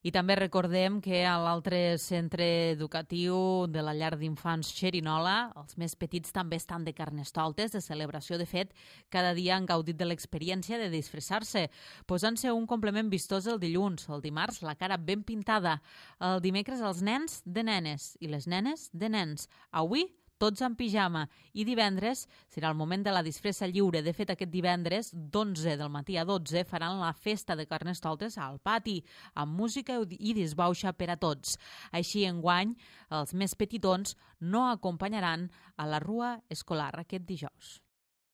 I també recordem que a l'altre centre educatiu de la llar d'infants Xerinola, els més petits també estan de carnestoltes, de celebració. De fet, cada dia han gaudit de l'experiència de disfressar-se, posant-se un complement vistós el dilluns, el dimarts la cara ben pintada, el dimecres els nens de nenes i les nenes de nens. Avui tots en pijama, i divendres serà el moment de la disfressa lliure. De fet, aquest divendres, d'11 del matí a 12, faran la festa de carnestoltes al pati, amb música i disbauxa per a tots. Així, enguany, els més petitons no acompanyaran a la rua escolar aquest dijous.